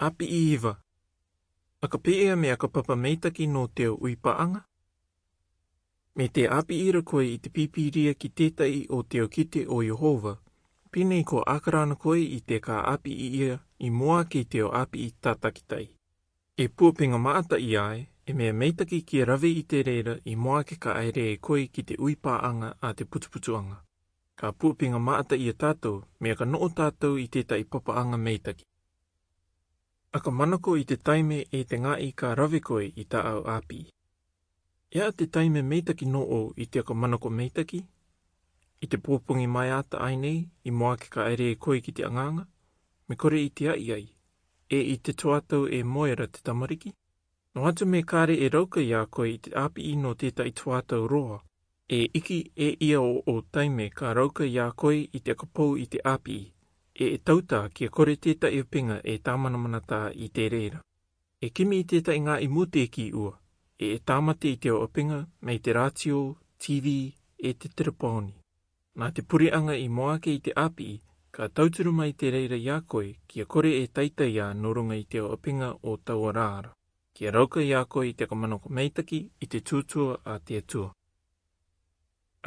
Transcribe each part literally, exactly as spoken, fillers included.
ʻĀpiʻi iva. ʻAka pē ʻa meʻa ʻakapapa meitaki nō teu ʻuipāʻaga? Me te ʻāpiʻi ra koe i te pīpīria ki tētaʻi o teu kite ʻo Iehova, pine i ko ʻākara ana koe i te ka ʻāpiʻi ia i mua ake i teu ʻāpiʻi tātakitaʻi. E puapega māʻata ia ē, e meʻa meitaki kia rave i te reira i mua ake ka ʻaere e koe ki te ʻuipāʻaga a te putuputuʻaga. Ka puapega māʻata ia tātou, meʻa ka noʻo tātou i tētaʻi papaʻaga meitaki. ʻAka manako i te taime e te ngaʻi ka rave koe i tāʻau ʻāpiʻi. E aha te taime meitaki nō ʻō i te ʻaka manako meitaki? I te pōpogi maeʻa ata ʻae nei, i mua ake ka ʻaere e koe ki te agaaga, me kore i te ʻaiʻai, e i te tuatau e moe ra te tamariki? Noa atu me kare e rauka ia koe i te ʻāpiʻi nō tētaʻi tuatau roa, e iki e ia ʻo ʻō taime ka rauka ia koe i te ʻaka pou i te ʻāpiʻi, e e tautā kia kore tētaʻi ʻapega e tāmanamanatā i te reira. E kimi i tētaʻi ngaʻi mūtēkī ua, e e tāmate i te ʻapega mai te rātio, TV, e te terepooni. Nā te pureʻaga i mua ake i te ʻāpiʻi, ka tauturu mai te reira ia koe kia kore e taitai ia nō ruga i te ʻapega o taua rā ra, kia rauka ia koe i te ʻaka manako meitaki i te tuatua a te Atua.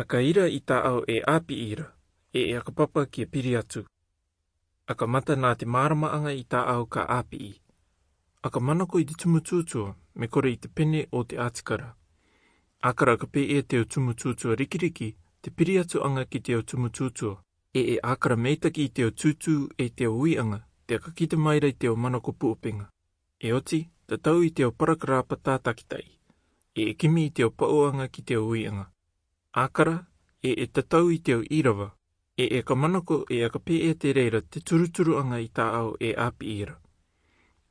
ʻAka ira i tāʻau e ʻāpiʻi ra, e e ʻakapapa kia piri atu. ʻAka mata nā te māramaʻaga i tāʻau ka ʻāpiʻi. ʻAka manako i te tumu tuatua, me kore i te pene o te ʻātikara. ʻĀkara ʻaka pē ʻa teu tumu tuatua rikiriki, te piri atuʻaga ki teu tumu tuatua, e e ʻākara meitaki i teu tūtū e teu uiʻaga, te ʻaka kite mai ra i teu manako puapega. E oti, tatau i teu parakarapa tātakitaʻi, e e kimi i teu paʻuʻaga ki teu uiʻaga. ʻĀkara, e e tatau i teu irava, e e ʻaka manako e ʻaka pē ʻa te reira te turuturuʻaga i tāʻau e ʻāpiʻi ra.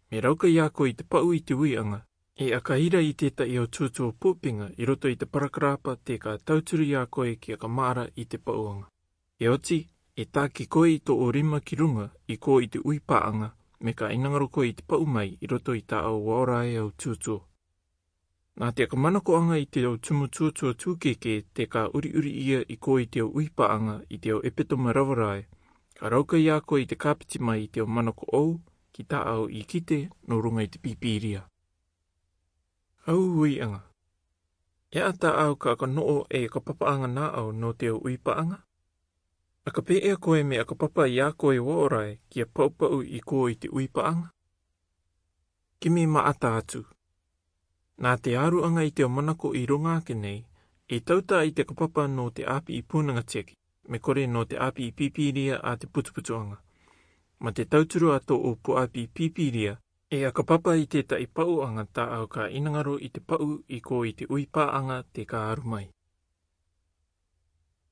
Me rauka ia koe i te paʻu i te uiʻaga, e ʻaka ira i tētaʻi o tuatua puapega i roto i te parakarapa te ka tauturu ia koe ki ʻaka maʻara i te paʻuʻaga. E oti, e taki koe i tō ʻō rima ki ruga i ko i te ʻuipāʻaga, me ka ʻinangaro koe i te paʻu mai i roto i tāʻau ʻaore au tuatua. Nā te ʻaka manakoʻaga i teu tumu tuatua tūkēkē te ka ʻuriʻuri ia i ko i teu ʻuipāʻaga i teu ʻepetoma rava ra ē, ka rauka ia koe i te kāpeti mai i teu manako ʻou, ki tāʻau i kite nō ruga i te pīpīria. Hau uiʻaga. E aha tāʻau ka ʻaka noʻo e ʻaka papaʻaga nāʻau nō teu ʻuipāʻaga? ʻAka pē ʻa koe me ʻaka papa ia koe ʻaore kia paʻupaʻu i ko i te ʻuipāʻaga? Kimi māʻata atu. Nā te āruʻaga i teu manako i ruga ake nei, e tautā i te ʻaka papa nō te ʻāpiʻi pūnaga tiaki, me kore nō te ʻāpiʻi pīpīria a te putuputuʻaga. Mā te tauturu a tō ʻō puaʻapi pīpīria, e ʻaka papa i tētaʻi paʻuʻaga tāʻau ka ʻinangaro i te paʻu i ko i te ʻuipāʻaga te ka aru mai.